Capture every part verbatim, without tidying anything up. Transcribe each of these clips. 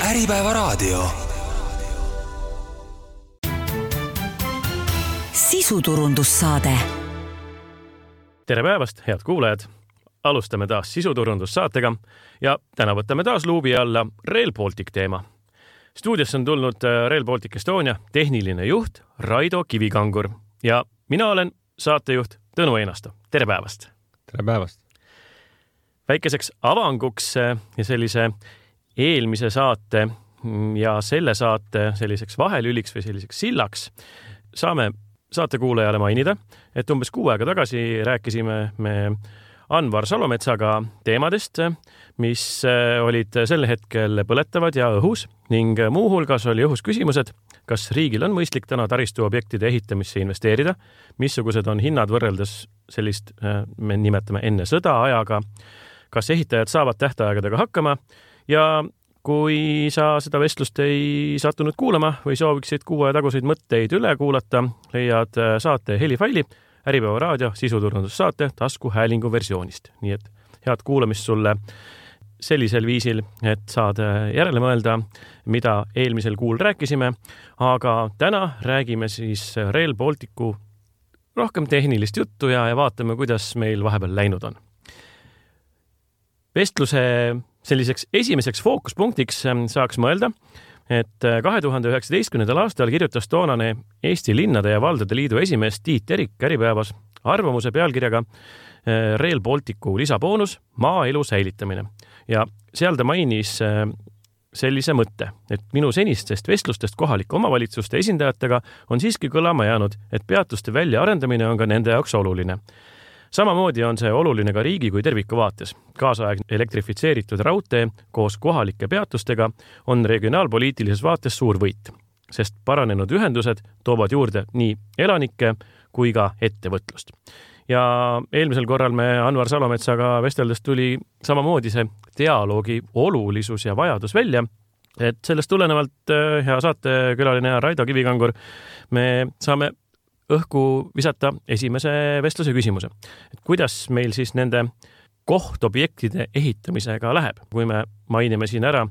Äripäevaraadio. Sisuturundussaade. Tere päevast, head kuulajad! Alustame taas sisuturundussaatega ja täna võtame taas luubi alla Rail Baltic teema. Stuudios on tulnud Rail Baltic Estonia tehniline juht Raido Kivikangur ja mina olen saatejuht Tõnu Einasto. Tere päevast! Tere päevast! Väikeseks avanguks ja sellise eelmise saate ja selle saate selliseks vahelüliks või selliseks sillaks saame saatekuulajale mainida, et umbes kuu aega tagasi rääkisime me Anvar Salometsaga teemadest, mis olid sel hetkel põletavad ja õhus ning muu hulgas oli õhus küsimused, kas riigil on mõistlik täna taristuobjektide ehitamisse investeerida, missugused on hinnad võrreldes sellist, me nimetame enne sõda ajaga, kas ehitajad saavad tähtaegadega hakkama ja kui sa seda vestlust ei sattunud kuulama või sooviksid kuue taguseid mõtteid üle kuulata, leiad saate helifaili Äripäevaraadio sisuturundussaate taskuhäälingu versioonist. Nii et head kuulamist sulle sellisel viisil, et saad järele mõelda, mida eelmisel kuul rääkisime, aga täna räägime siis Rail Balticu rohkem tehnilist juttu ja, ja vaatame, kuidas meil vahepeal läinud on. Vestluse selliseks esimeseks fookuspunktiks saaks mõelda, et kahe tuhande üheksateistkümnendal aastal kirjutas toonane Eesti Linnade ja Valdade Liidu esimees Tiit Terik Äripäevas arvamuse pealkirjaga Rail Balticu lisaboonus maaelu säilitamine. Ja seal ta mainis sellise mõtte, et minu senistest vestlustest kohalike omavalitsuste esindajatega on siiski kõlama jäänud, et peatuste väljaarendamine on ka nende jaoks oluline. Samamoodi on see oluline ka riigi kui terviku vaates. Kaasaegne elektrifitseeritud raudtee koos kohalike peatustega on regionaalpoliitilises vaates suur võit, sest paranenud ühendused toovad juurde nii elanikke kui ka ettevõtlust. Ja eelmisel korral me Anvar Salometsaga vesteldes tuli samamoodi see dialoogi olulisus ja vajadus välja, et sellest tulenevalt, hea saatekülaline Raido Kivikangur, me saame õhku visata esimese vestluse küsimuse. Et kuidas meil siis nende kohtobjektide ehitamisega läheb, kui me mainime siin ära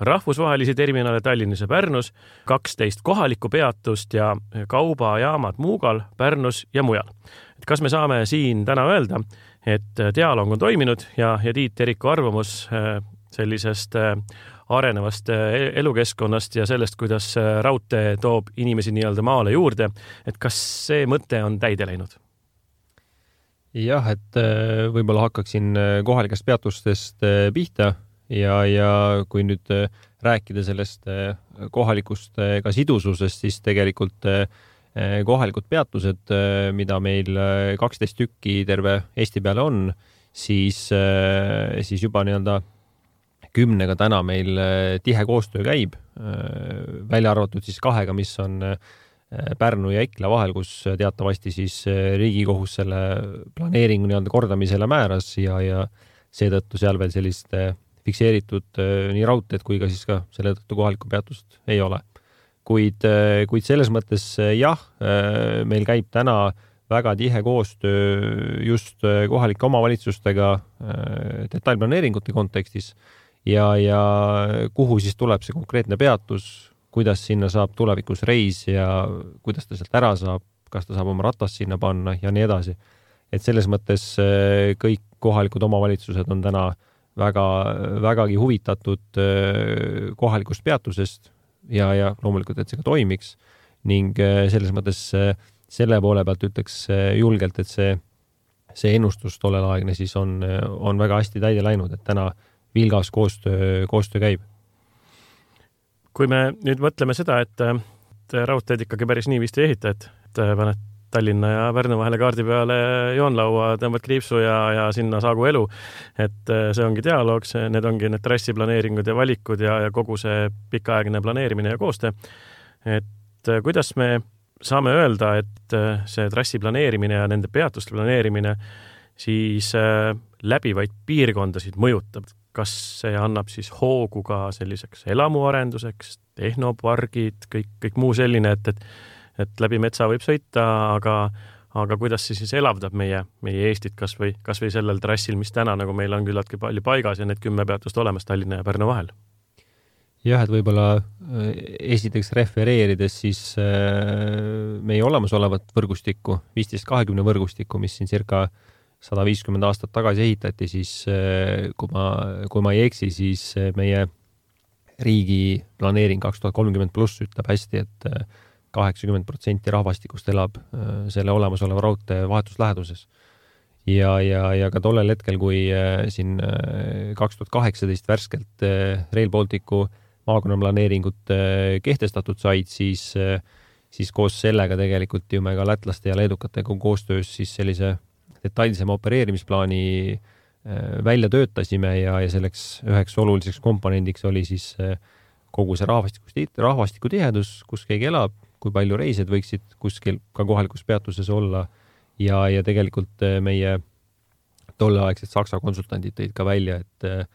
rahvusvahelisi terminale Tallinnas ja Pärnus, kaksteist kohalikku peatust ja kaubajaamad Muugal, Pärnus ja mujal. Et kas me saame siin täna öelda, et dialoog on toiminud ja, ja Tiit Teriku arvamus sellisest arenevast elukeskkonnast ja sellest, kuidas raudtee toob inimesi nii-öelda maale juurde, et kas see mõte on täide läinud? Jah, et võib-olla hakkaksin kohalikest peatustest pihta ja, ja kui nüüd rääkida sellest kohalikust ka sidususest, siis tegelikult kohalikud peatused, mida meil kaksteist tükki terve Eesti peale on, siis, siis juba nii-öelda kümnega täna meil tihe koostöö käib, välja arvatud siis kahega, mis on Pärnu ja Ikla vahel, kus teatavasti siis Riigikohus selle planeeringu nii-öelda kordamisele määras ja, ja seetõttu seal veel sellist fikseeritud nii raudteed kui ka siis ka selle tõttu kohalikku peatust ei ole. Kuid, kuid selles mõttes jah, meil käib täna väga tihe koostöö just kohalike omavalitsustega detailplaneeringute kontekstis ja, ja kuhu siis tuleb see konkreetne peatus, kuidas sinna saab tulevikus reis ja kuidas ta sealt ära saab, kas ta saab oma ratast sinna panna ja nii edasi. Et selles mõttes kõik kohalikud omavalitsused on täna väga, vägagi huvitatud kohalikust peatusest ja, ja loomulikult, et see ka toimiks ning selles mõttes selle poole pealt ütleks julgelt, et see, see ennustus tollel aegne siis on, on väga hästi täide läinud, et täna vilgas koostöö, koostöö käib. Kui me nüüd mõtleme seda, et, et raudteed ikkagi päris nii vist ei ehita, et, et paned Tallinna ja Pärnu vahele kaardi peale joonlaua, tõmbad kriipsu ja, ja sinna saagu elu, et see ongi dialoog, see, need ongi need trassiplaneeringud ja valikud ja, ja kogu see pikaaegne planeerimine ja koostöö. Et kuidas me saame öelda, et see trassi planeerimine ja nende peatuste planeerimine siis läbivaid piirkondasid mõjutab? Kas see annab siis hoogu ka selliseks elamuarenduseks, tehnopargid, kõik, kõik muu selline, et, et, et läbi metsa võib sõita, aga, aga kuidas see siis elavdab meie, meie Eestit kas või, kas või sellel trassil, mis täna nagu meil on küllaltki palju paigas ja need kümme peatust olemas Tallinna ja Pärnu vahel? Jah, et võib-olla esiteks refereerides siis meie olemasolevat võrgustikku, viisteist kahekümne võrgustikku, mis siin circa sada viiskümmend aastat tagasi ehitati, siis kui ma, kui ma ei eksi, siis meie riigi planeering kaks tuhat kolmkümmend pluss ütleb hästi, et kaheksakümmend protsenti rahvastikust elab selle olemasoleva raudtee vahetusläheduses. Ja, ja, ja ka tollel hetkel, kui siin kaks tuhat kaheksateist värskelt Rail Balticu maakonna-planeeringut kehtestatud said, siis, siis koos sellega tegelikult ju me ka lätlaste ja leedukatega koostöös siis sellise detailsema opereerimisplaani välja töötasime ja, ja selleks üheks oluliseks komponendiks oli siis kogu see rahvastiku, rahvastiku tihedus, kus keegi elab, kui palju reisijad võiksid kuskil ka kohalikus peatuses olla ja, ja tegelikult meie tolleaegsed Saksa konsultandid tõid ka välja, et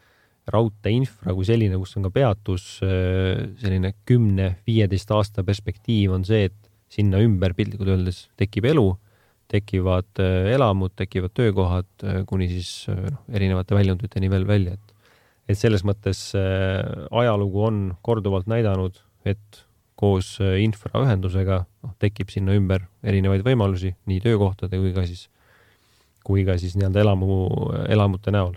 raudtee infra kui selline, kus on ka peatus, selline kümne viieteist aasta perspektiiv on see, et sinna ümber piltlikult öeldes tekib elu, tekivad elamud, tekivad töökohad, kuni siis no, erinevate väljunditeni veel välja. Et, et selles mõttes ajalugu on korduvalt näidanud, et koos infraühendusega no, tekib sinna ümber erinevaid võimalusi, nii töökohtade kui ka siis, kui ka siis nii-öelda elamu, elamute näol.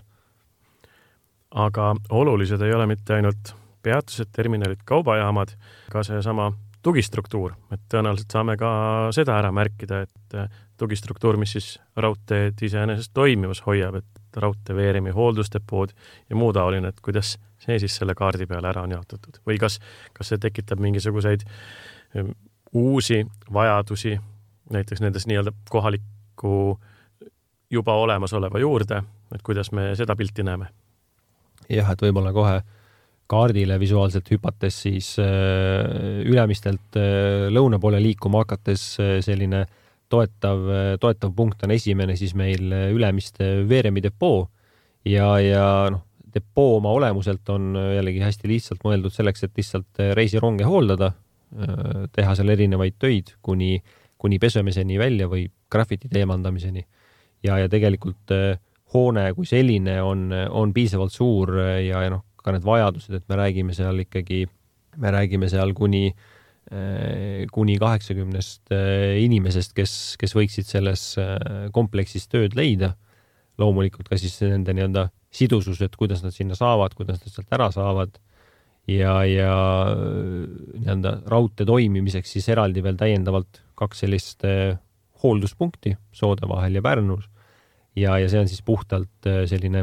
Aga olulised ei ole mitte ainult peatused, terminalid, kaubajaamad, ka see sama tugistruktuur, et tõenäoliselt saame ka seda ära märkida, et tugistruktuur, mis siis raudteed iseenesest toimivas hoiab, et raudteeveeremi hooldusdepood ja muu taoline, et kuidas see siis selle kaardi peale ära on jaotatud või kas, kas see tekitab mingisuguseid uusi vajadusi, näiteks nendes nii-öelda kohaliku juba olemasoleva juurde, et kuidas me seda pilti näeme. Jah, et võib-olla kohe kaardile visuaalselt hüpates siis ülemistelt lõuna poole liikuma hakates selline toetav, toetav punkt on esimene siis meil ülemiste veeremi depoo ja, ja noh, depoo oma olemuselt on jällegi hästi lihtsalt mõeldud selleks, et lihtsalt reisironge hooldada, teha seal erinevaid töid kuni, kuni pesemeseni välja või grafiti teemandamiseni ja, ja tegelikult hoone kui selline on, on piisavalt suur ja, ja noh, ka need vajadused, et me räägime seal ikkagi, me räägime seal kuni, kuni kaheksakümnest inimesest, kes, kes võiksid selles kompleksis tööd leida. Loomulikult ka siis nende nii-öelda sidusus, et kuidas nad sinna saavad, kuidas nad sealt ära saavad ja, ja nii-öelda raudtee toimimiseks siis eraldi veel täiendavalt kaks sellist hoolduspunkti Soode vahel ja Pärnus. Ja, ja see on siis puhtalt selline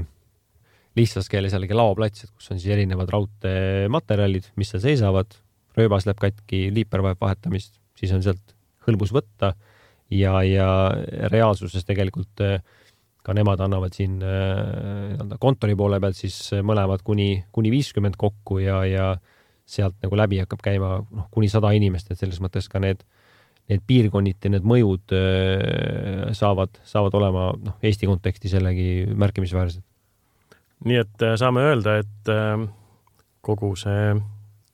lihtsas keeles jällegi laoplats, kus on siis erinevad raudteematerjalid, mis seal seisavad, rööbas läheb katki, liiper vajab vahetamist, siis on sealt hõlbus võtta ja, ja reaalsuses tegelikult ka nemad annavad siin kontori poole pealt siis mõlemad kuni, kuni viiskümmend kokku ja, ja sealt nagu läbi hakkab käima noh, kuni sada inimest, et selles mõttes ka need need piirkonniti, need mõjud saavad, saavad olema noh, Eesti konteksti sellegi märkimisväärsed. Nii et saame öelda, et kogu see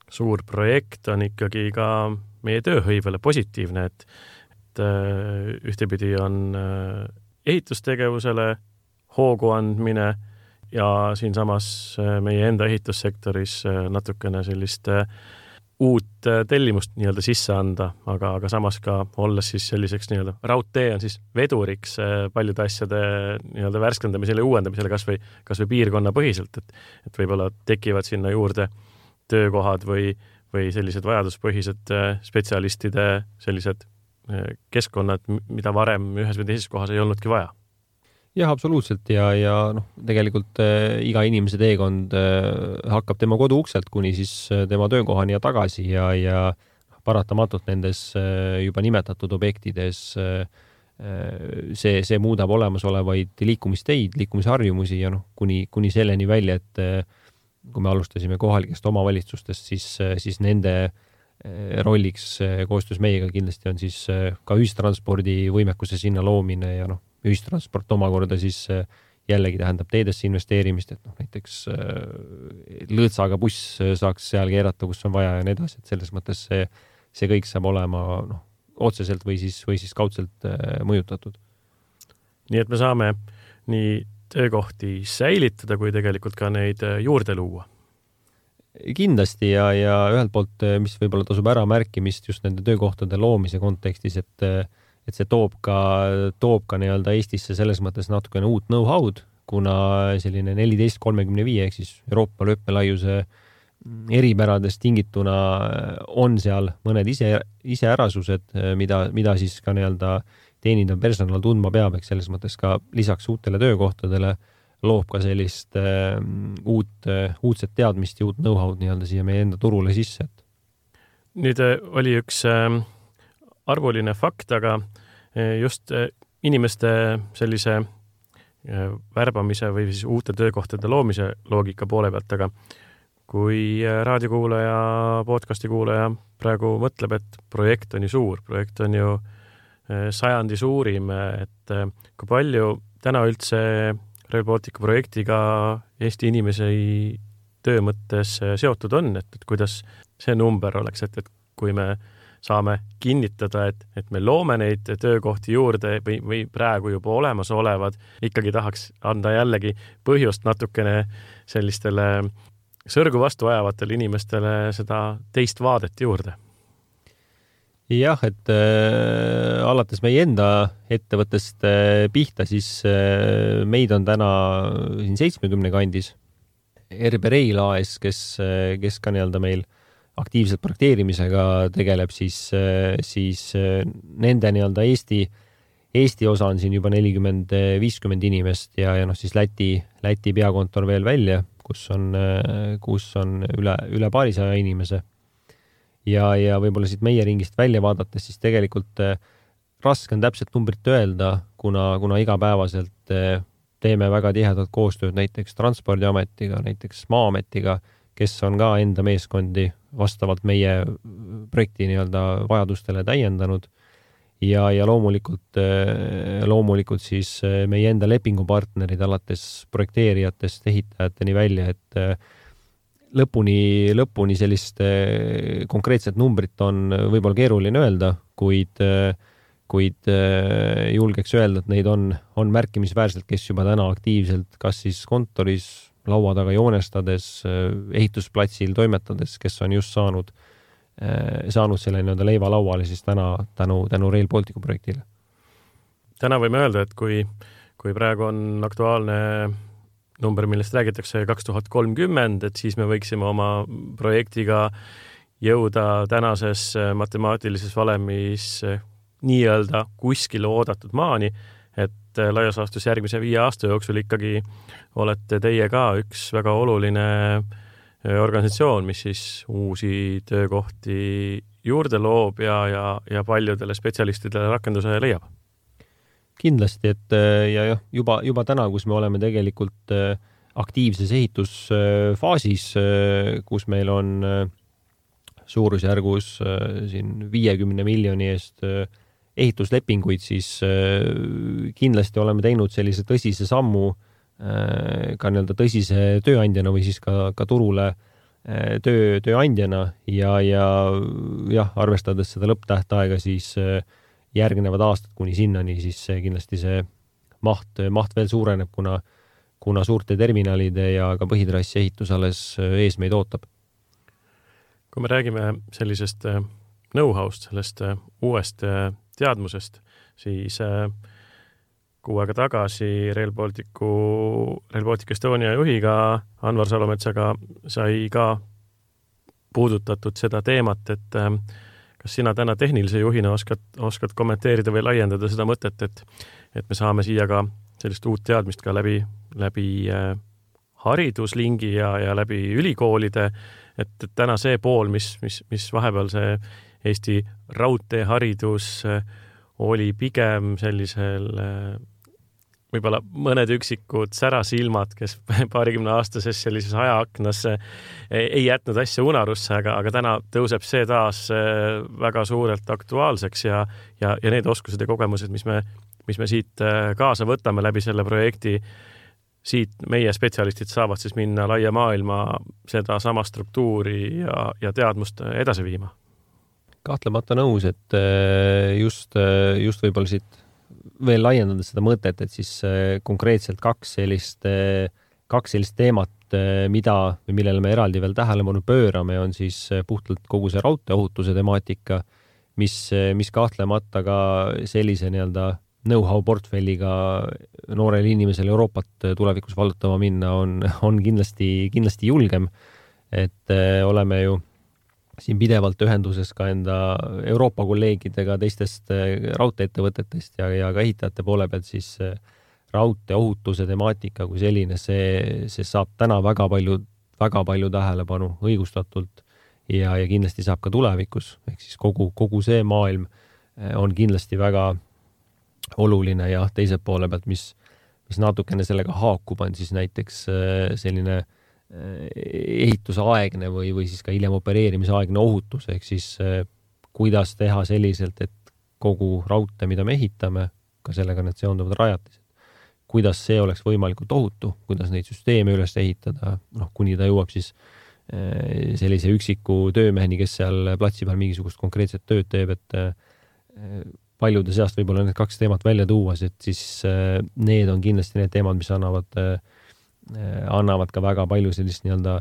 suur projekt on ikkagi ka meie tööhõivele positiivne, et, et ühtepidi on ehitustegevusele hoogu andmine ja siinsamas meie enda ehitussektoris natukene sellist uut tellimust nii-öelda sisse anda, aga, aga samas ka olles siis selliseks nii-öelda raudtee on siis veduriks paljude asjade nii-öelda värskendamisele ja uuendamisele kas või, kas või piirkonna põhiselt, et, et võib-olla tekivad sinna juurde töökohad või, või sellised vajaduspõhised spetsialistide sellised keskkonnad, mida varem ühes või teises kohas ei olnudki vaja. Jah, absoluutselt ja, ja noh, tegelikult äh, iga inimese teekond äh, hakkab tema kodu ukselt kuni siis äh, tema töökohani ja tagasi ja, ja paratamatult nendes äh, juba nimetatud objektides äh, see, see muudab olemasolevaid liikumisteid, liikumisharjumusi ja noh, kuni, kuni selleni välja, et äh, kui me alustasime kohalikest omavalitsustest, siis, äh, siis nende äh, rolliks äh, koostöös meiega kindlasti on siis äh, ka ühistranspordi võimekuse sinna loomine ja noh, ühistransport omakorda siis jällegi tähendab teedesse investeerimist, et noh, näiteks lõõtsaga buss saaks seal keerata, kus on vaja ja nii edasi, et selles mõttes see, see kõik saab olema noh, otseselt või siis, või siis kaudselt mõjutatud. Nii et me saame nii töökohti säilitada, kui tegelikult ka neid juurde luua. kindlasti ja, ja ühelt poolt, mis võib-olla tasub ära märkimist just nende töökohtade loomise kontekstis, et, et see toob ka, toob ka nii-öelda Eestisse selles mõttes natukene uut know-how'd, kuna selline neliteist kolmekümne viie ehk siis Euroopa lööpmelaiuse eripäradest tingituna on seal mõned ise, iseärasused, mida, mida siis ka nii-öelda teenindav personal tundma peab, eks selles mõttes ka lisaks uutele töökohtadele loob ka sellist äh, uut, äh, uudset teadmist ja uut know-how'd nii-öelda siia meie enda turule sisse. Nüüd äh, oli üks äh, arvuline fakt, aga äh, just äh, inimeste sellise äh, värbamise või siis uute töökohtade loomise loogika poole pealt, aga kui raadiokuulaja, podcasti kuulaja praegu mõtleb, et projekt on ju suur, projekt on ju sajandi suurim, et kui palju täna üldse Rail Balticu projektiga Eesti inimese töö mõttes seotud on, et, et kuidas see number oleks, et, et kui me saame kinnitada, et, et me loome neid töökohti juurde või, või praegu juba olemas olevad, ikkagi tahaks anda jällegi põhjust natukene sellistele sõrgu vastu ajavatele inimestele seda teist vaadet juurde. Jah, et äh, alates meie enda ettevõttest äh, pihta, siis äh, meid on täna siin seitsmekümne kandis. R B Rail A S, kes, kes ka nii-öelda meil aktiivselt projekteerimisega tegeleb, siis, äh, siis äh, nende nii-öelda Eesti, Eesti osa on siin juba nelikümmend viiskümmend inimest ja, ja noh, siis Läti, Läti peakontor veel välja, kus on, kus on üle, üle paarisaja inimese. Ja, ja võib-olla siit meie ringist välja vaadates, siis tegelikult raske on täpselt numbrit öelda, kuna, kuna igapäevaselt teeme väga tihedat koostööd näiteks Transpordiametiga, näiteks Maa-ametiga, kes on ka enda meeskondi vastavalt meie projekti nii-öelda vajadustele täiendanud. Ja, ja loomulikult, loomulikult siis meie enda lepingupartnerid alates projekteerijatest, ehitajateni välja, et lõpuni, lõpuni sellist konkreetset numbrit on võib-olla keeruline öelda, kuid, kuid julgeks öelda, et neid on, on märkimisväärselt, kes juba täna aktiivselt, kas siis kontoris, laua taga joonestades, ehitusplatsil toimetades, kes on just saanud saanud selle nii-öelda leiva lauale siis täna tänu, tänu Rail Balticu projektile. Täna võime öelda, et kui, kui praegu on aktuaalne number, millest räägitakse kaks tuhat kolmkümmend, et siis me võiksime oma projektiga jõuda tänases matemaatilises valemis nii-öelda kuskile oodatud maani, et laias laastus järgmise viie aasta jooksul ikkagi olete teie ka üks väga oluline organisatsioon, mis siis uusi töökohti juurde loob ja, ja, ja paljudele spetsialistidele rakenduse leiab. Kindlasti, et ja jah, juba, juba täna, kus me oleme tegelikult aktiivses ehitusfaasis, kus meil on suurusjärgus siin viiekümne miljoni eest ehituslepinguid, siis kindlasti oleme teinud sellise tõsise sammu ka nii-öelda tõsise tööandjana või siis ka, ka turule töö, tööandjana ja, ja jah, arvestades seda lõpptähtaega, siis järgnevad aastad kuni sinnani, siis kindlasti see maht, maht veel suureneb, kuna, kuna suurte terminalide ja ka põhitrassi ehitus alles ees meid ootab. Kui me räägime sellisest know-how'st, sellest uuest teadmusest, siis kuu aega tagasi Rail Balticu, Rail Baltic Estonia juhiga Anvar Salometsaga sai ka puudutatud seda teemat, et kas sina täna tehnilise juhina oskad, oskad kommenteerida või laiendada seda mõtet, et, et me saame siia ka sellist uut teadmist ka läbi, läbi hariduslingi ja, ja läbi ülikoolide, et, et täna see pool, mis, mis, mis vahepeal see Eesti raudteeharidus oli pigem sellisel võib-olla mõned üksikud särasilmad, kes paarikümne aastases sellises ajaaknas ei jätnud asja unarusse, aga, aga täna tõuseb see taas väga suurelt aktuaalseks ja, ja, ja need oskused ja kogemused, mis me, mis me siit kaasa võtame läbi selle projekti, siit meie spetsialistid saavad siis minna laia maailma seda sama struktuuri ja, ja teadmust edasi viima. Kahtlemata nõus, et just, just võib-olla siit veel laiendada seda mõtet, et siis konkreetselt kaks sellist, kaks sellist teemat et mida või millele me eraldi veel tähelepanu pöörame, on siis puhtalt kogu see raudteeohutuse temaatika, mis, mis kahtlemata ka sellise nii-öelda know-how portfelliga noorel inimesel Euroopat tulevikus vallutama minna on, on kindlasti, kindlasti julgem. Et oleme ju siin pidevalt ühenduses ka enda Euroopa kolleegidega teistest raudteeettevõtetest ja, ja ka ehitajate poole pealt siis raudteeohutuse temaatika kui selline, see, see saab täna väga palju, väga palju tähelepanu õigustatult ja, ja kindlasti saab ka tulevikus. Ehk siis kogu, kogu see maailm on kindlasti väga oluline ja teise poole pealt, mis, mis natukene sellega haakub, on siis näiteks selline ehitusaegne või, või siis ka hiljem opereerimisaegne ohutus, ehk siis kuidas teha selliselt, et kogu raudtee, mida me ehitame, ka sellega need seonduvad rajatised, kuidas see oleks võimalikult ohutu, kuidas neid süsteeme üles ehitada, noh, kuni ta jõuab siis sellise üksiku töömeheni, kes seal platsi peal mingisugust konkreetset tööd teeb, et paljude seast võib-olla need kaks teemat välja tuuas, et siis need on kindlasti need teemad, mis annavad, annavad ka väga palju sellist nii-öelda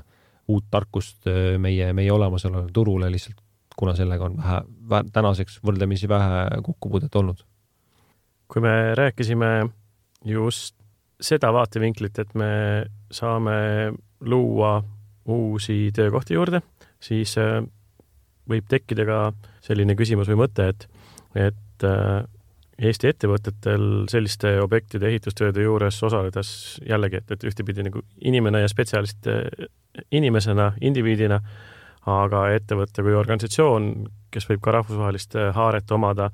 uut tarkust meie, meie olemasolevale turule lihtsalt, kuna sellega on vähe, vähe, tänaseks võrdlemisi vähe kokkupuudet olnud. Kui me rääkisime just seda vaatevinklit, et me saame luua uusi töökohti juurde, siis võib tekkida ka selline küsimus või mõte, et, et Eesti ettevõtetel selliste objektide ehitustööde juures osaledes jällegi, et, et ühtepidi nagu inimene ja spetsialist inimesena, indiviidina, aga ettevõtte kui organisatsioon, kes võib ka rahvusvahelist haaret omada,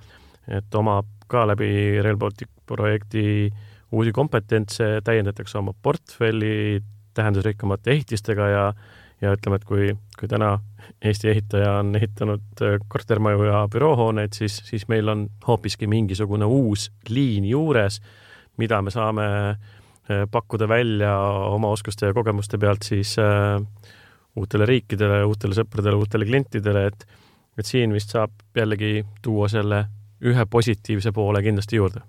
et omab ka läbi Rail Baltic projekti uusi kompetentse, täiendatakse oma portfelli tähendusrikkamate ehitistega ja ja ütleme, et kui, kui täna Eesti ehitaja on ehitanud kortermaju ja büroohooneid, siis, siis meil on hoopiski mingisugune uus liin juures, mida me saame pakkuda välja oma oskuste ja kogemuste pealt siis uh, uutele riikidele, uutele sõpradele, uutele klientidele, et, et siin vist saab jällegi tuua selle ühe positiivse poole kindlasti juurde.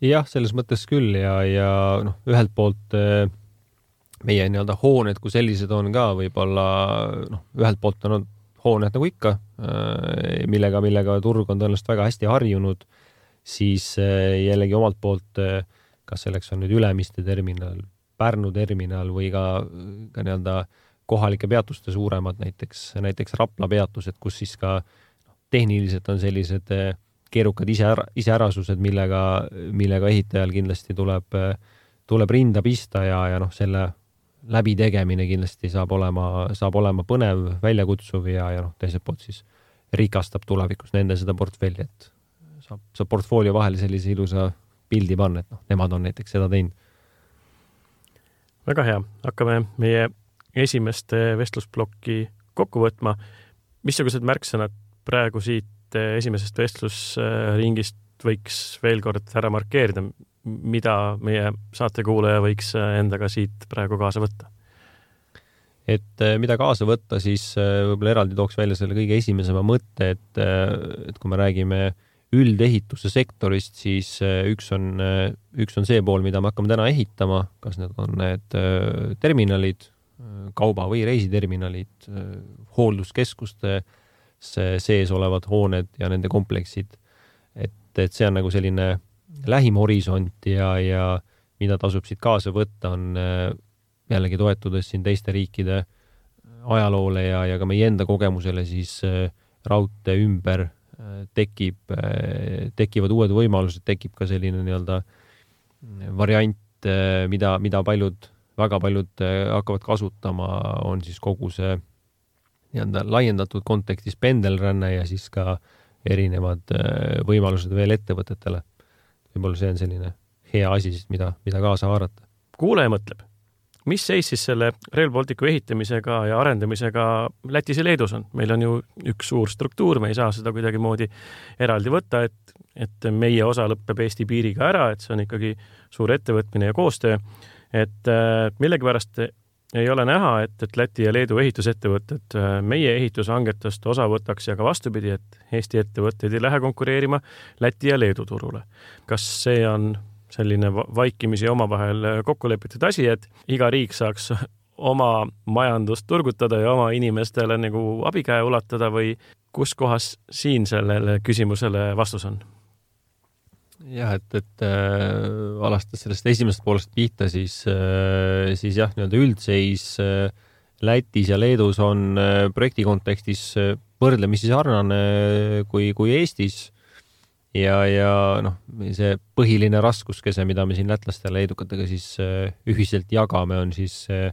Jah, selles mõttes küll ja, ja noh, ühelt poolt uh... meie nii-öelda hooned, kui sellised on ka võib-olla, noh, ühelt poolt on hooned nagu ikka, millega, millega turg on tõenäoliselt väga hästi harjunud, siis jällegi omalt poolt, kas selleks on nüüd Ülemiste terminal, Pärnu terminal või ka, ka nii-öelda kohalike peatuste suuremad, näiteks, näiteks Rapla peatused, kus siis ka tehniliselt on sellised keerukad ise, iseärasused, millega, millega ehitajal kindlasti tuleb, tuleb rinda pista ja, ja noh, selle läbi tegemine kindlasti saab olema, saab olema põnev, väljakutsuv ja, ja noh, teiselt poolt siis rikastab tulevikus nende seda portfelli, et saab, saab portfoolio vahele sellise ilusa pildi panna, et noh, nemad on näiteks seda teinud. Väga hea. Hakkame meie esimest vestlusplokki kokku võtma. Missugused märksõnad praegu siit esimesest vestlusringist võiks veel kord ära markeerida, mida meie saatekuulaja võiks endaga siit praegu kaasa võtta? Et mida kaasa võtta, siis võib-olla eraldi tooks välja selle kõige esimesema mõtte, et, et kui me räägime üldehituse sektorist, siis üks on, üks on see pool, mida me hakkame täna ehitama, kas need on need terminalid, kauba- või reisiterminalid, hoolduskeskuste sees olevad hooned ja nende kompleksid. Et, et see on nagu selline lähim horisont ja, ja mida tasub siit kaasa võtta, on jällegi toetudes siin teiste riikide ajaloole ja, ja ka meie enda kogemusele, siis raudtee ümber tekib, tekivad uued võimalused, tekib ka selline nii-öelda variant, mida, mida paljud, väga paljud hakkavad kasutama, on siis kogu see nii-öelda laiendatud kontekstis pendelränne ja siis ka erinevad võimalused veel ettevõtetele. Võib-olla see on selline hea asi, mida, mida kaasa haarata. Kuulaja mõtleb, mis seis siis selle Rail Balticu ehitamisega ja arendamisega Lätis ja Leedus on? Meil on ju üks suur struktuur, me ei saa seda kuidagi moodi eraldi võtta, et, et meie osa lõppeb Eesti piiriga ära, et see on ikkagi suur ettevõtmine ja koostöö. Et millegipärast ei ole näha, et, et Läti ja Leedu ehitusettevõtted meie ehitushangetest osa võtaks ja ka vastupidi, et Eesti ettevõtted ei lähe konkureerima Läti ja Leedu turule. Kas see on selline vaikimisi omavahel kokku lepitud asi, et iga riik saaks oma majandust turgutada ja oma inimestele nagu abikäe ulatada või kus kohas siin sellele küsimusele vastus on? Jah, et, et äh, alastas sellest esimesest poolest pihta, siis, äh, siis jah, nii-öelda üldseis äh, Lätis ja Leedus on äh, projekti kontekstis äh, võrdlemisi sarnane kui, kui Eestis ja, ja noh, see põhiline raskuskese, mida me siin lätlaste ja leedukatega siis äh, ühiselt jagame, on siis äh,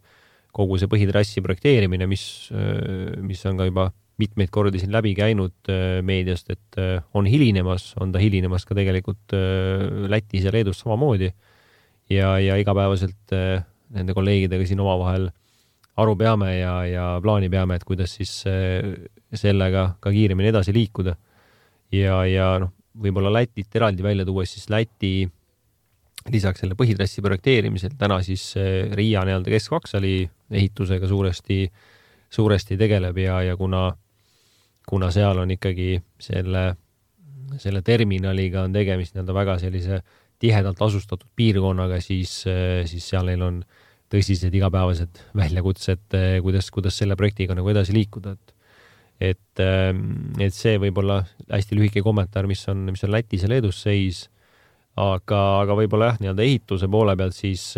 kogu see põhitrassi projekteerimine, mis, äh, mis on ka juba mitmeid kordi siin läbi käinud meediast, et on hilinemas, on ta hilinemas ka tegelikult Lätis ja Leedus samamoodi ja, ja igapäevaselt nende kolleegidega siin omavahel aru peame ja, ja plaani peame, et kuidas siis sellega ka kiiremini edasi liikuda. Ja, ja noh, võib-olla Lätit eraldi välja tuua, siis Läti lisaks selle põhitrassi projekteerimisel täna siis Riia nii-öelda keskvaksali ehitusega suuresti, suuresti tegeleb ja, ja kuna kuna seal on ikkagi selle, selle terminaliga on tegemist nii-öelda väga sellise tihedalt asustatud piirkonnaga, siis, siis seal neil on tõsised igapäevased väljakutsed, kuidas, kuidas selle projektiga nagu edasi liikuda. Et, et, et see võib olla hästi lühike kommentaar, mis on, mis on Lätis ja Leedus seis, aga, aga võib-olla jah, nii-öelda ehituse poole pealt siis,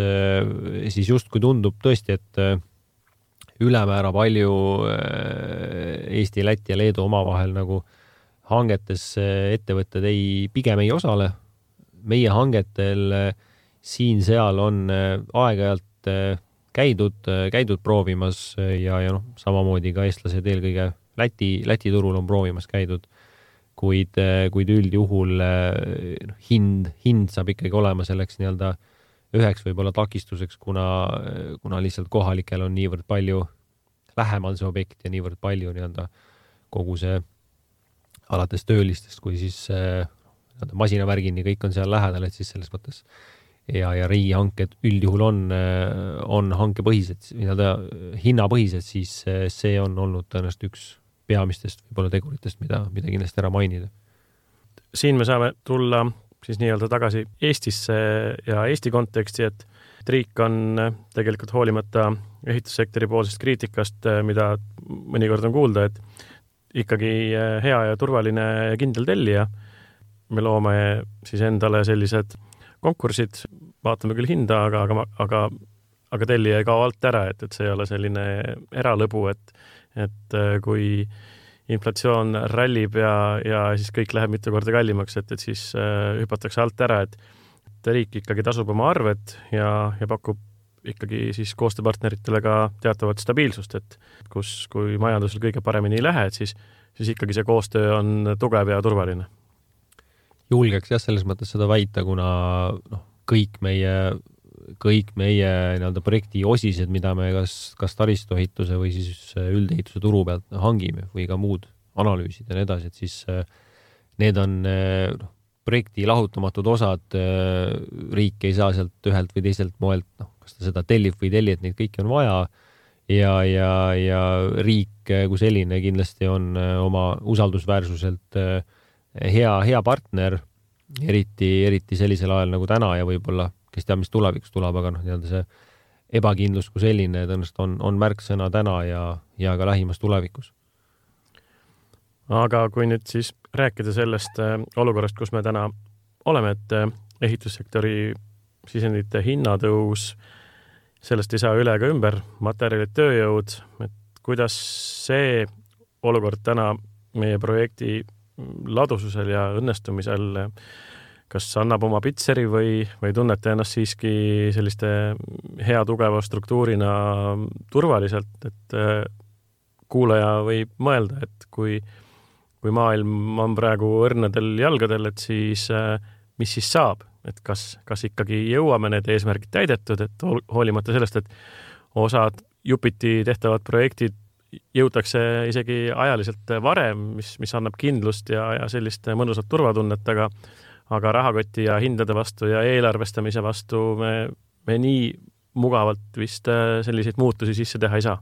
siis just kui tundub tõesti, et ülemäära palju Eesti, Läti ja Leedu omavahel nagu hangetes ettevõtted ei, pigem ei osale. Meie hangetel siin-seal on aeg-ajalt käidud, käidud proovimas ja, ja noh, samamoodi ka eestlased eelkõige Läti, Läti turul on proovimas käidud, kuid, kuid üldjuhul hind, hind saab ikkagi olema selleks nii-öelda üheks võib-olla takistuseks, kuna, kuna lihtsalt kohalikel on niivõrd palju lähemal see objekt ja niivõrd palju nii-öelda kogu see alates töölistest, kui siis nii-öelda masinavärgini kõik on seal lähedal, et siis selles mõttes ja, ja riigihanked üldjuhul on, on hankepõhised, nii-öelda hinnapõhised, siis see on olnud tõenäoliselt üks peamistest võib-olla teguritest, mida, mida kindlasti ära mainida. Siin me saame tulla siis nii-öelda tagasi Eestisse ja Eesti konteksti, et riik on tegelikult hoolimata ehitussektori poolsest kriitikast, mida mõnikord on kuulda, et ikkagi hea ja turvaline ja kindel tellija. Me loome siis endale sellised konkursid, vaatame küll hinda, aga, aga, aga, aga tellija ei kao alt ära, et, et see ei ole selline eralõbu, et, et kui inflatsioon rallib ja, ja siis kõik läheb mitu korda kallimaks, et, et siis äh, hüpatakse alt ära, et, et riik ikkagi tasub oma arved ja, ja pakub ikkagi siis koostööpartneritele ka teatavat stabiilsust, et kus, kui majandusel kõige paremini ei lähe, et siis, siis ikkagi see koostöö on tugev ja turvaline. Julgeks jah, selles mõttes seda väita, kuna noh, kõik meie, kõik meie nii-öelda projekti osised, mida me kas, kas taristuehituse või siis üldehituse turu pealt hangime või ka muud analüüsid ja nii edasi, et siis need on noh, projekti lahutamatud osad, riik ei saa sealt ühelt või teiselt moelt, noh, kas ta seda tellib või telli, et neid kõiki on vaja ja, ja, ja riik kui selline kindlasti on oma usaldusväärsuselt hea, hea partner, eriti, eriti sellisel ajal nagu täna ja võib-olla kes teab, mis tulevikus tuleb, aga noh, nii-öelda see ebakindlus kui selline tõenäoliselt on, on märksõna täna ja, ja ka lähimas tulevikus. Aga kui nüüd siis rääkida sellest olukorrast, kus me täna oleme, et ehitussektori sisendite hinnatõus, sellest ei saa üle ega ümber, materjalid, tööjõud, et kuidas see olukord täna meie projekti ladususel ja õnnestumisel kas annab oma pitseri või, või tunnete ennast siiski selliste hea tugeva struktuurina turvaliselt, et kuulaja võib mõelda, et kui, kui maailm on praegu õrnadel jalgadel, et siis mis siis saab, et kas, kas ikkagi jõuame need eesmärgid täidetud, et hoolimata sellest, et osad jupiti tehtavad projektid jõutakse isegi ajaliselt varem, mis, mis annab kindlust ja, ja sellist mõnusat turvatunnet, aga aga rahakoti ja hindade vastu ja eelarvestamise vastu me, me nii mugavalt vist selliseid muutusi sisse teha ei saa.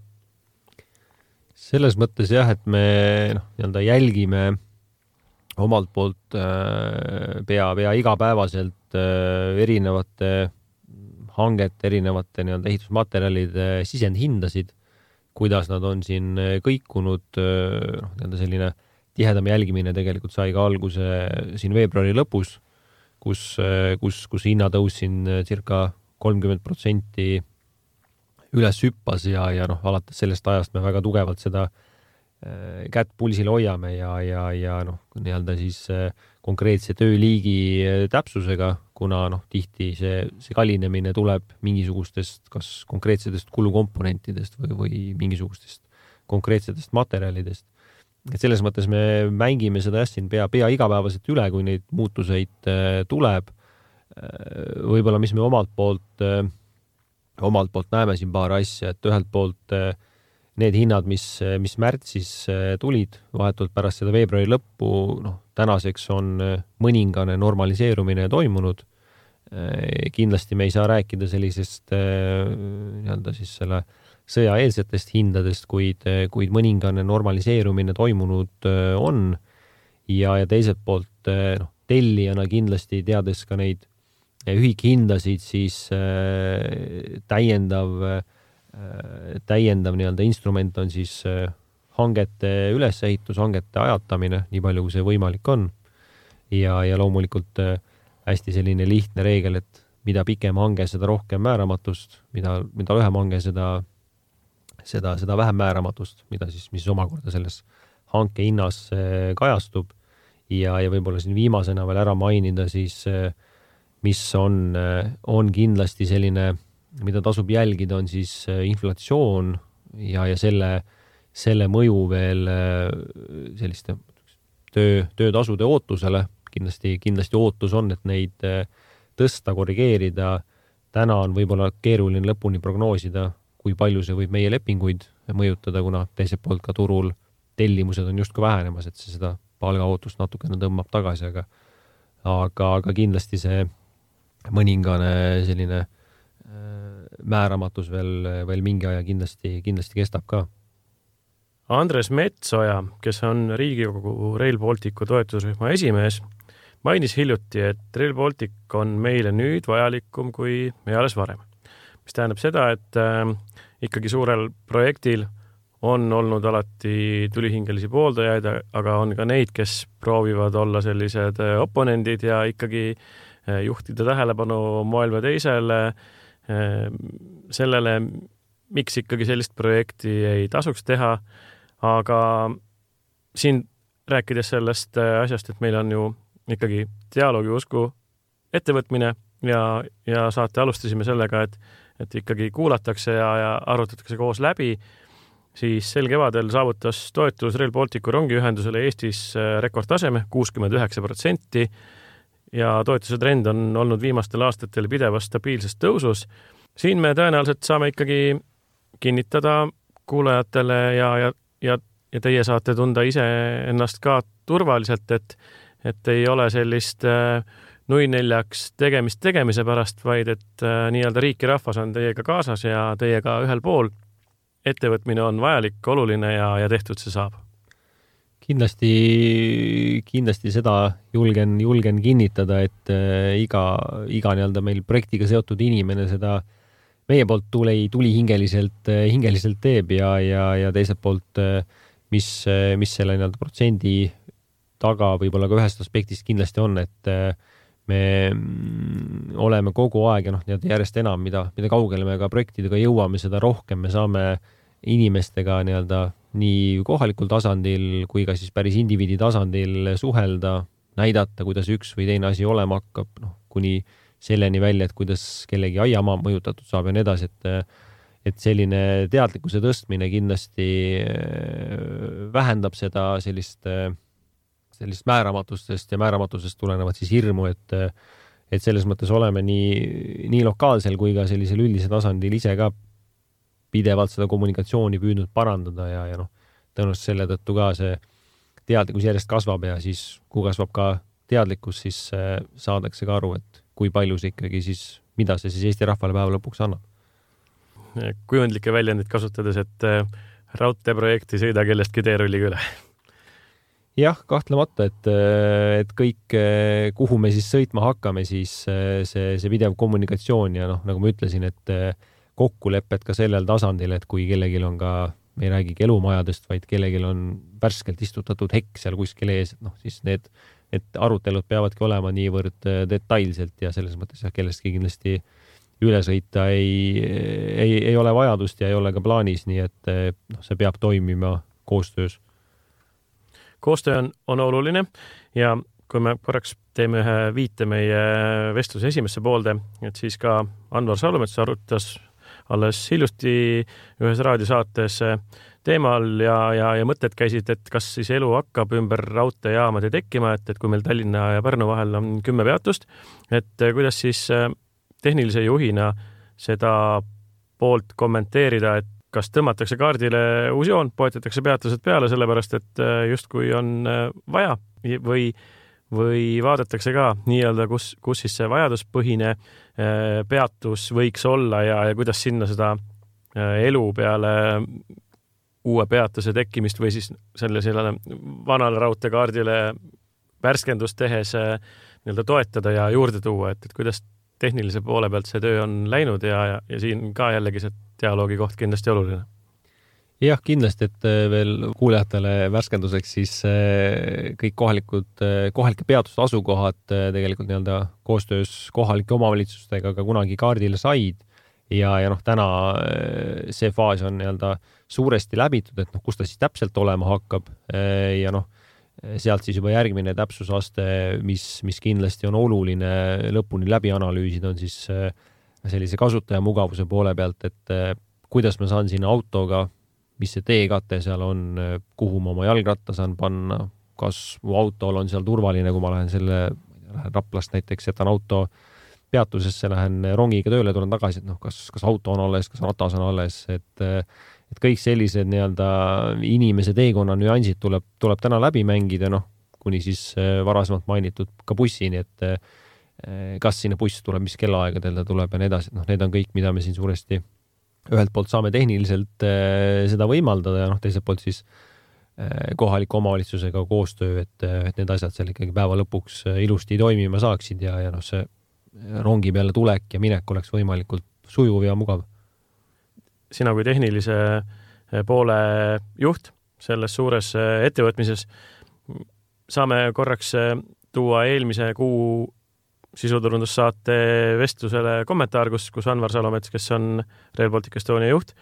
Selles mõttes jah, et me noh, nii-öelda jälgime omalt poolt pea, pea igapäevaselt erinevate hangete erinevate nii-öelda ehitusmaterjalide sisendhindasid, kuidas nad on siin kõikunud, noh, nii-öelda selline tihedam jälgimine tegelikult sai ka alguse siin veebruari lõpus, kus, kus, kus hinnatõus siin circa kolmkümmend protsenti üles hüppas ja, ja noh, alates sellest ajast me väga tugevalt seda kätt pulsile hoiame ja, ja, ja noh, nii-öelda siis konkreetse tööliigi täpsusega, kuna noh, tihti see, see kallinemine tuleb mingisugustest kas konkreetsetest kulukomponentidest või, või mingisugustest konkreetsetest materjalidest. Et selles mõttes me mängime seda jah, siin pea, pea igapäevaselt üle, kui neid muutuseid tuleb. Võib-olla, mis me omalt poolt, omalt poolt näeme siin paar asja, et ühelt poolt need hinnad, mis, mis märtsis tulid vahetult pärast seda veebruari lõppu, noh, tänaseks on mõningane normaliseerumine toimunud. Kindlasti me ei saa rääkida sellisest nii-öelda siis selle sõjaeelsetest hindadest, kuid, kuid mõningane normaliseerumine toimunud on ja, ja teiselt poolt noh, tellijana kindlasti teades ka neid ühikhindasid, siis täiendav täiendav nii-öelda instrument on siis hangete ülesehitus, hangete ajatamine, nii palju kui see võimalik on. Ja, ja loomulikult hästi selline lihtne reegel, et mida pikem hange, seda rohkem määramatust, mida, mida lühem hange, seda, seda, seda vähem määramatust, mida siis, mis omakorda selles hanke hinnas kajastub. Ja, ja võib-olla siin viimasena veel ära mainida siis, mis on, on kindlasti selline mida tasub jälgida, on siis inflatsioon ja, ja selle, selle mõju veel selliste töö, töötasude ootusele. Kindlasti, kindlasti ootus on, et neid tõsta, korrigeerida. Täna on võib-olla keeruline lõpuni prognoosida, kui palju see võib meie lepinguid mõjutada, kuna teiselt poolt ka turul tellimused on justkui vähenemas, et see seda palgaootust natukene tõmbab tagasi, aga, aga, aga kindlasti see mõningane selline määramatus veel, veel mingi aja kindlasti, kindlasti kestab ka. Andres Metsoja, kes on Riigikogu Rail Balticu toetusrühma esimees, mainis hiljuti, et Rail Baltic on meile nüüd vajalikum kui alles varem. Mis tähendab seda, et äh, ikkagi suurel projektil on olnud alati tulihingelisi pooldajaid, aga on ka neid, kes proovivad olla sellised oponendid ja ikkagi äh, juhtida tähelepanu moel või teisele sellele, miks ikkagi sellist projekti ei tasuks teha, aga siin rääkides sellest asjast, et meil on ju ikkagi dialoogi usku ettevõtmine ja, ja saate alustasime sellega, et, et ikkagi kuulatakse ja, ja arutatakse koos läbi, siis sel kevadel saavutas toetus Rail Balticu rongiühendusele Eestis rekordtaseme kuuskümmend üheksa protsenti ja toetuse trend on olnud viimastel aastatel pidevas stabiilses tõusus. Siin me tõenäoliselt saame ikkagi kinnitada kuulajatele ja, ja, ja, ja teie saate tunda ise ennast ka turvaliselt, et, et ei ole sellist nui neljaks tegemist tegemise pärast, vaid et nii-öelda riik ja rahvas on teiega kaasas ja teiega ühel pool. Ettevõtmine on vajalik, oluline ja, ja tehtud see saab. Kindlasti, kindlasti seda julgen, julgen kinnitada, et iga, iga nii-öelda meil projektiga seotud inimene seda meie poolt tuli, tuli hingeliselt, hingeliselt teeb ja, ja, ja teiselt poolt, mis, mis selle nii-öelda protsendi taga võib-olla ka ühest aspektist kindlasti on, et me oleme kogu aeg ja noh, järjest enam, mida, mida kaugele me ka projektidega jõuame, seda rohkem me saame inimestega nii-öelda nii kohalikul tasandil kui ka siis päris indiviidi tasandil suhelda, näidata, kuidas üks või teine asi olema hakkab, noh, kuni selleni välja, et kuidas kellegi aiamaa mõjutatud saab ja nii edasi, et, et selline teadlikkuse tõstmine kindlasti vähendab seda sellist, sellist määramatustest ja määramatusest tulenevat siis hirmu, et, et selles mõttes oleme nii, nii lokaalsel kui ka sellisel üldise tasandil ise ka pidevalt seda kommunikatsiooni püüdnud parandada ja, ja noh, tõenäoliselt selle tõttu ka see teadlikkus järjest kasvab ja siis, kui kasvab ka teadlikkus, siis saadakse ka aru, et kui palju see ikkagi siis, mida see siis Eesti rahvale päeva lõpuks annab. Kujundlikke väljendid kasutades, et raudteeprojekti sõida kellestki teerulliga üle. jah, kahtlemata, et, et kõik, kuhu me siis sõitma hakkame, siis see, see pidev kommunikatsioon ja noh, nagu ma ütlesin, et kokkulepped ka sellel tasandil, et kui kellelgi on ka, me ei räägigi elumajadest, vaid kellelgi on värskelt istutatud hekk seal kuskil ees, et noh, siis need, et arutelud peavadki olema niivõrd detailselt ja selles mõttes jah, kellestki kindlasti üle sõita ei, ei, ei ole vajadust ja ei ole ka plaanis, nii et noh, see peab toimima koostöös. Koostöö on, on oluline ja kui me korraks teeme ühe viite meie vestluse esimesse poolde, et siis ka Anvar Salumets arutas alles hiljuti ühes raadiosaates teemal ja, ja, ja mõtted käisid, et kas siis elu hakkab ümber raudteejaamade tekkima, et, et kui meil Tallinna ja Pärnu vahel on kümme peatust, et kuidas siis tehnilise juhina seda poolt kommenteerida, et kas tõmmatakse kaardile uus joon, poetatakse peatused peale, sellepärast et justkui on vaja või, või vaadatakse ka nii-öelda, kus, kus siis see vajaduspõhine peatus võiks olla ja, ja kuidas sinna seda elu peale uue peatuse tekkimist või siis selle sellele vanale raudteekaardile värskendust tehes nii-öelda toetada ja juurde tuua, et, et kuidas tehnilise poole pealt see töö on läinud ja, ja, ja siin ka jällegi see dialoogi koht kindlasti oluline. Jah, kindlasti, et veel kuulajatele värskenduseks siis kõik kohalikud, kohalike peatuste asukohad tegelikult nii-öelda koostöös kohalike omavalitsustega ka kunagi kaardile said ja, ja noh, täna see faas on nii-öelda suuresti läbitud, et noh, kus ta siis täpselt olema hakkab ja noh, sealt siis juba järgmine täpsusaste, mis, mis kindlasti on oluline lõpuni läbi analüüsida, on siis sellise kasutaja mugavuse poole pealt, et kuidas ma saan sinna autoga, mis see teekate seal on, kuhu ma oma jalgratta saan panna, kas mu autol on seal turvaline, kui ma lähen selle, lähen Raplast näiteks, jätan auto peatusesse, lähen rongiga tööle, tulen tagasi, et noh, kas, kas auto on alles, kas ratas on alles, et et kõik sellised nii-öelda inimese teekonna nüansid tuleb, tuleb täna läbi mängida, noh, kuni siis varasemalt mainitud ka bussini, et kas sinna buss tuleb, mis kellaaegadel ta tuleb ja nii edasi, noh, need on kõik, mida me siin suuresti ühelt poolt saame tehniliselt seda võimaldada ja noh, teiselt poolt siis kohaliku omavalitsusega koostöö, et, et need asjad seal ikkagi päeva lõpuks ilusti toimima saaksid ja, ja noh, see rongi peale tulek ja minek oleks võimalikult sujuv ja mugav. Sina kui tehnilise poole juht selles suures ettevõtmises saame korraks tuua eelmise kuu sisuturundussaate vestlusele kommentaar, kus, kus Anvar Salomets, kes on Rail Baltic Estonia juht,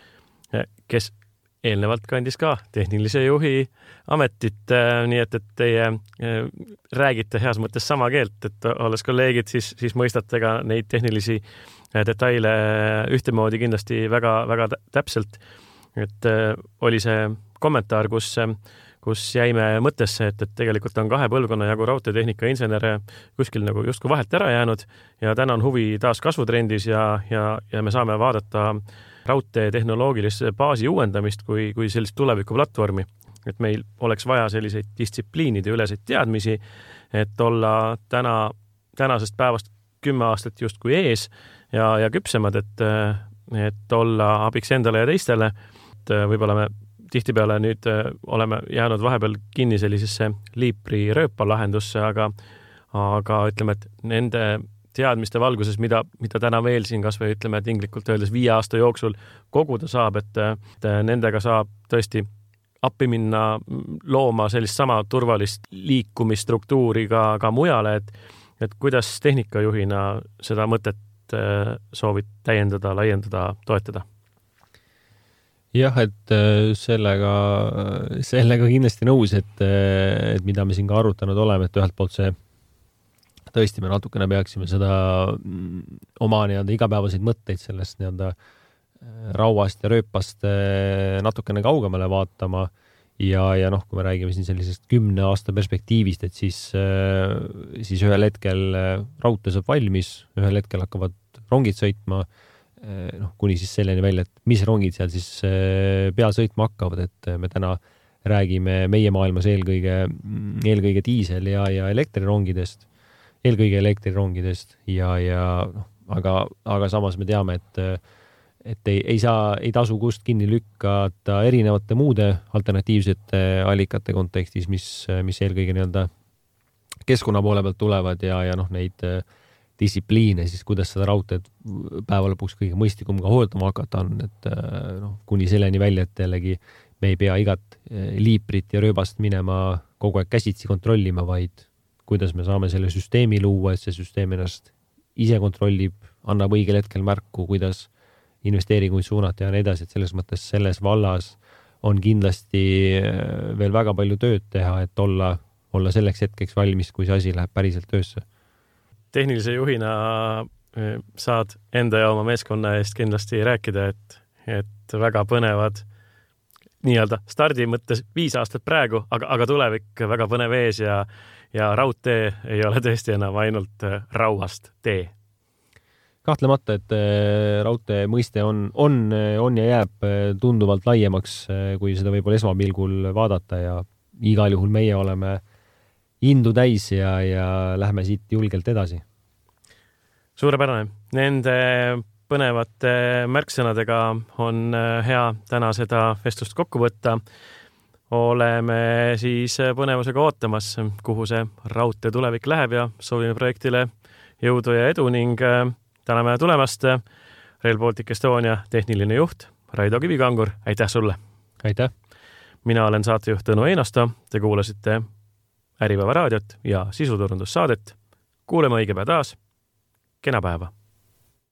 kes eelnevalt kandis ka tehnilise juhi ametit, nii et, et teie räägite heas mõttes sama keelt, et olles kolleegid, siis, siis mõistate ka neid tehnilisi detaile ühtemoodi kindlasti väga, väga täpselt. Et oli see kommentaar, kus, kus jäime mõttesse, et, et tegelikult on kahe põlvkonna jagu raudteetehnika insenere kuskil nagu justkui vahelt ära jäänud ja täna on huvi taas kasvutrendis ja, ja, ja me saame vaadata raudtee tehnoloogilise baasi uuendamist kui, kui sellist tulevikuplatvormi, et meil oleks vaja selliseid distsipliinide üleseid teadmisi, et olla täna, tänasest päevast kümme aastat justkui ees ja, ja küpsemad, et, et olla abiks endale ja teistele. Et võib-olla me tihtipeale nüüd oleme jäänud vahepeal kinni sellisesse liipri rööpa lahendusse, aga, aga ütleme, et nende teadmiste valguses, mida, mida täna veel siin kas või ütleme tinglikult öeldes viie aasta jooksul koguda saab, et, et nendega saab tõesti appi minna looma sellist sama turvalist liikumisstruktuuri ka, ka mujale, et, et kuidas tehnikajuhina seda mõtet soovid täiendada, laiendada, toetada? Jah, et sellega, sellega kindlasti nõus, et, et mida me siin ka arutanud oleme, et ühelt poolt see tõesti me natukene peaksime seda oma nii-öelda igapäevaseid mõtteid sellest nii-öelda rauast ja rööpast natukene kaugemale vaatama ja, ja noh, kui me räägime siin sellisest kümne aasta perspektiivist, et siis, siis ühel hetkel raudtee saab valmis, ühel hetkel hakkavad rongid sõitma, noh, kuni siis selleni välja, et mis rongid seal siis peal sõitma hakkavad, et me täna räägime meie maailmas eelkõige, eelkõige diisel- ja, ja elektrirongidest, eelkõige elektrirongidest ja, ja noh, aga, aga samas me teame, et, et ei, ei saa, ei tasu kust kinni lükkata erinevate muude alternatiivsete allikate kontekstis, mis, mis eelkõige nii-öelda keskkonna poole pealt tulevad ja, ja noh, neid distsipliine siis, kuidas seda raudteed päeva lõpuks kõige mõistlikum ka hooldama hakata on, et noh, kuni selleni välja, et jällegi me ei pea igat liiprit ja rööbast minema kogu aeg käsitsi kontrollima, vaid kuidas me saame selle süsteemi luua, et see süsteem ennast ise kontrollib, annab õigel hetkel märku, kuidas investeeringuid suunata ja nii edasi, et selles mõttes selles vallas on kindlasti veel väga palju tööd teha, et olla, olla selleks hetkeks valmis, kui see asi läheb päriselt töösse. Tehnilise juhina saad enda ja oma meeskonna eest kindlasti rääkida, et, et väga põnevad nii-öelda stardi mõttes viis aastat praegu, aga, aga tulevik väga põnev ees ja, ja raudtee ei ole tõesti enam ainult rauast tee. Kahtlemata, et raudtee mõiste on, on, on ja jääb tunduvalt laiemaks, kui seda võib-olla esmapilgul vaadata ja igal juhul meie oleme indu täis ja, ja lähme siit julgelt edasi. Suurepärane. Nende põnevate märksõnadega on hea täna seda vestlust kokku võtta. Oleme siis põnevusega ootamas, kuhu see raudtee tulevik läheb ja soovime projektile jõudu ja edu ning täname tulemast Rail Baltic Estonia tehniline juht Raido Kivikangur. Aitäh sulle! Aitäh! Mina olen saatejuht Tõnu Einasto. Te kuulasite Äripäeva raadiot ja sisuturundussaadet. Kuuleme õige päev taas. Kena päeva!